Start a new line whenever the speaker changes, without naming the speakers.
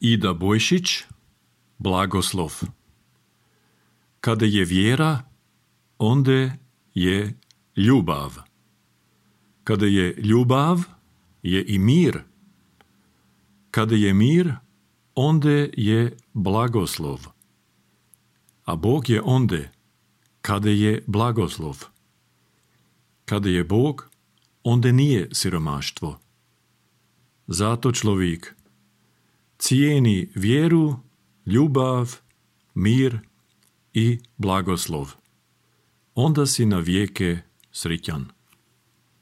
Ida Bojšić, blagoslov. Kada je vjera, onda je ljubav. Kada je ljubav, je i mir. Kada je mir, onda je blagoslov. A Bog je onda, kada je blagoslov. Kada je Bog, onda nije siromaštvo. Zato človek cijeni vjeru, ljubav, mir i blagoslov. Onda si na vijeke srećan.